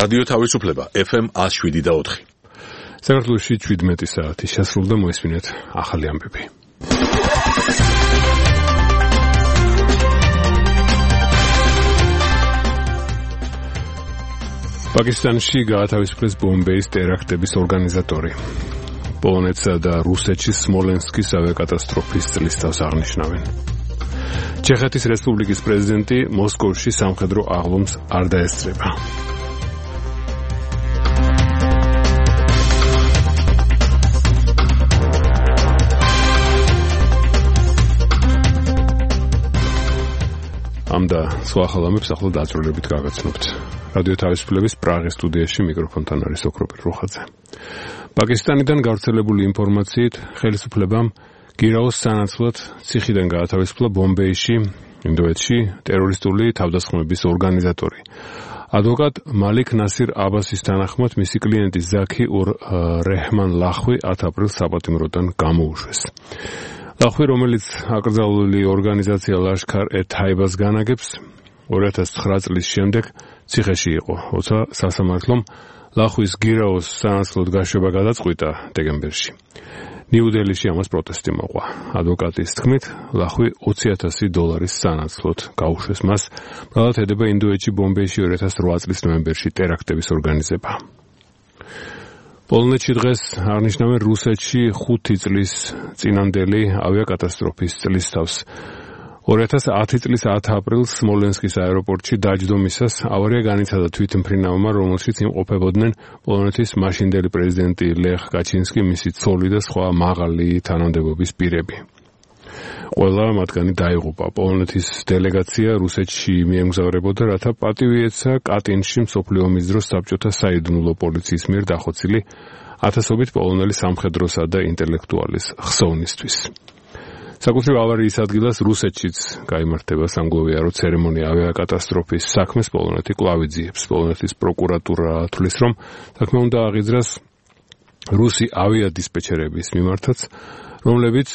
რადიო თავისუფლება FM 107.4. საქართველოში 17 საათი შესრულდა, მოისმინეთ ახალი ამბები. პაკისტანში გაათავისუფლეს ბომბეის ტერაქტების ორგანიზატორი. პოლონეთსა და რუსეთში სმოლენსკის ავიაკატასტროფის წლისთავს აღნიშნავენ. ჩეხეთის რესპუბლიკის პრეზიდენტი მოსკოვში სამხედრო აღლომს არ დაესწრება. ამ და სხვა ხალხებს ახლა დაწვრილებით გაგაცნობთ. რადიო თავისუფლების პრაღის სტუდიაში მიკროფონთან არის ოქროპირ რუხაძე. პაკისტანიდან გავრცელებული ინფორმაციით ხელისუფლებამ გირაოს სანაცვლოდ ციხიდან გაათავისუფლა ბომბეიში, ინდოეთში ტერორისტული თავდასხმების ორგანიზატორი. ადვოკატ მალიქ ნასირ აბასის თანახმად მისი კლიენტი ზაქი ურ რეჰმან ლახვი 10 აპრილს საპატიმროდან გამოუშვეს. ლახვი, რომელიც აკრძალული ორგანიზაცია ლაშქარ-ე-თაიბას განაგებს, 2009 წლის შემდეგ ციხეში იყო, როცა სასამართლომ ლახვის გირაოს სანაცვლოდ გაშვება გადაწყვიტა დეკემბერში. ნიუ-დელიში ამას პროტესტი მოყვა. ადვოკატის თქმით, ლახვი $20,000 სანაცვლოდ გაუშვეს მას, ბრალად ედება ინდოეთში ბომბეიში 2008 წლის ნოემბერში ტერაქტების ორგანიზება. პოლონეთში დღეს აღნიშნავენ რუსეთში 5 წლის წინანდელი ავიაკატასტროფის წლისთავს. 2010 წლის 10 აპრილს სმოლენსკის აეროპორტში დაჯდომისას ავარია განიცადა თვითმფრინავმა, რომელშიც იმყოფებოდნენ პოლონეთის მაშინდელი პრეზიდენტი ლეხ კაჩინსკი, მისი ცოლი და სხვა მაღალი თანამდებობის პირები. ყველა მათგანი დაიღუპა. პოლონეთის დელეგაცია რუსეთში მიემგზავრებოდა, რათა პატივი ეცა კატინში მსოფლიო ომის დროს საბჭოთა საიდუმლო პოლიციის მიერ დახოცილი ათასობით პოლონელი სამხედროსა და ინტელექტუალის ხსოვნისთვის. საკუთრივ ავარიის ადგილას რუსეთშიც გაიმართება სამგლოვიარო ცერემონია ავიაკატასტროფის საქმეს პოლონეთი კვლავ იძიებს. პოლონეთის პროკურატურა თვლის, რომ საქმე უნდა აღიძრას რუსი ავიადისპეჩერების მიმართაც, რომლებიც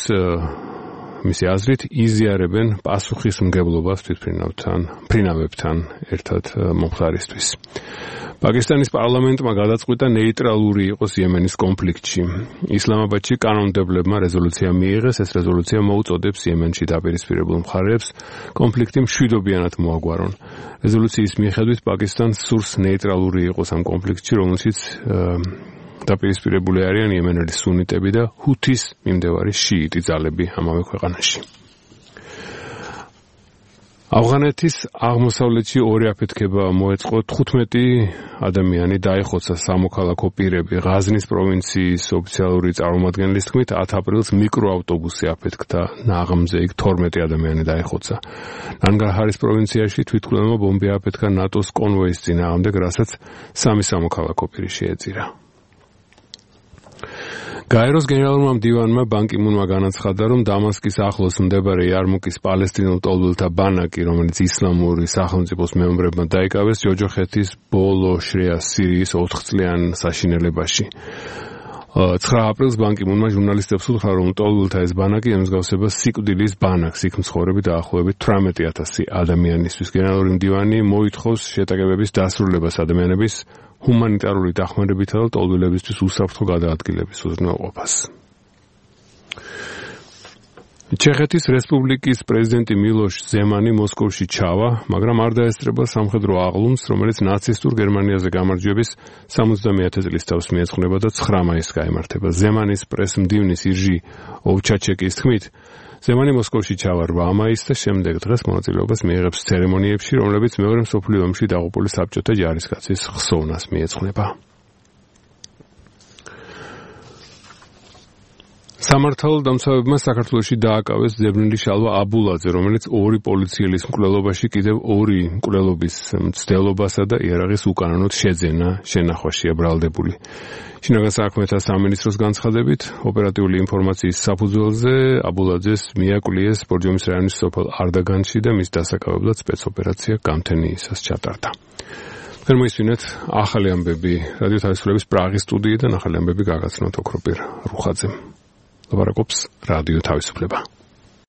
მისი აზრით იზიარებენ პასუხისმგებლობას თვითმფრინავებთან ერთად მომხდარისთვის. პაკისტანის პარლამენტმა გადაწყვიტა ნეიტრალური იყოს იემენის კონფლიქტში. ისლამაბადში კანონმდებლებმა რეზოლუცია მიიღეს. ეს რეზოლუცია მოუწოდებს იემენში დაპირისპირებულ მხარეებს კონფლიქტი მშვიდობიანად მოაგვარონ. რეზოლუციის მიხედვით პაკისტანს სურს ნეიტრალური იყოს ამ კონფლიქტში, რომელშიც დაპირისპირებული არიან იემენელი სუნიტები და ჰუთის მიმდევარი შიიტი ძალები ამავე ქვეყანაში. ავღანეთის აღმოსავლეთში ორი აფეთქება მოეწყო, 15 ადამიანი დაიხოცა სამოქალაქო პირები. ღაზნის პროვინციის ოფიციალური წარმომადგენლის თქმით, 10 აპრილს მიკროავტობუსი აფეთქდა ნაღმზე, იქ 12 ადამიანი დაიხოცა. ნანგარჰარის პროვინციაში თვითმფრინავმა ბომბი აფეთქა ნატოს კონვოის წინააღმდეგ, რასაც 3 სამოქალაქო პირი შეეწირა. გაეროს გენერალურმა მდივანმა ბან კი მუნმა განაცხადა, რომ დამასკის ახლოს მდებარე იარმუკის პალესტინელ ტოლბელთა ბანაკი, რომელიც ისლამური სახელმწიფოს მეომრებმა დაიკავეს, ჯოჯოხეთის ბოლო შრეა სირიის 4 წლიან საშინელებაში. 9 აპრილს ბან კი მუნმა ჟურნალისტებს უთხრა, რომ ტოლბელთა ეს ბანაკი ემსგავსება სიკვდილის ბანაკს, იქ მცხოვრები დაახლოებით 18,000 ადამიანისთვის. გენერალური მდივანი მოითხოვს შეტაკებების დასრულებას ადამიანების ჰუმანიტარული დახმარებითა და ტოლბელებისთვის უსაფრთხო გადაადგილების უზრუნველყოფას. ჩეხეთის რესპუბლიკის პრეზიდენტი მილოშ ზემანი მოსკოვში ჩავა, მაგრამ არ დაესწრება სამხედრო აღლუმს, რომელიც ნაცისტურ გერმანიაზე გამარჯვების 70-ე წლისთავს მიეძღვნება და 9 მაისს გაიმართება. ზემანის პრესმდივნის ირჟი ოვჩაჩეკის თქმით, ზემანი მოსკოვში ჩავა 8 მაისს და შემდეგ დღეს მონაწილეობას მიიღებს ცერემონიებში, რომლებიც მეორე მსოფლიო ომში დაღუპული საბჭოთა ჯარისკაცის ხსოვნას მიეძღვნება. სამართალდამცავებმა საქართველოში დააკავეს ძებნილი შალვა აბულაძე, რომელიც 2 პოლიციელის მკვლელობაში კიდევ 2 მკვლელობის მცდელობასა და იარაღის უკანონოდ შეძენა შენახვაშია ბრალდებული. შინაგან საქმეთა სამინისტროს განცხადებით, ოპერატიული ინფორმაციის საფუძველზე აბულაძეს მიაკლიეს ბორჯომის რაიონის სოფელ არდაგანში და მის დასაკავებლად სპეცოპერაცია გამთენიისას ჩატარდა. მოისმინეთ ახალი ამბები რადიო თავისუფლების პრაღის სტუდიიდან ახალი ამბები გაგაცნოთ ოქროპირ რუხაძემ. ლაპარაკობს რადიო თავისუფლება.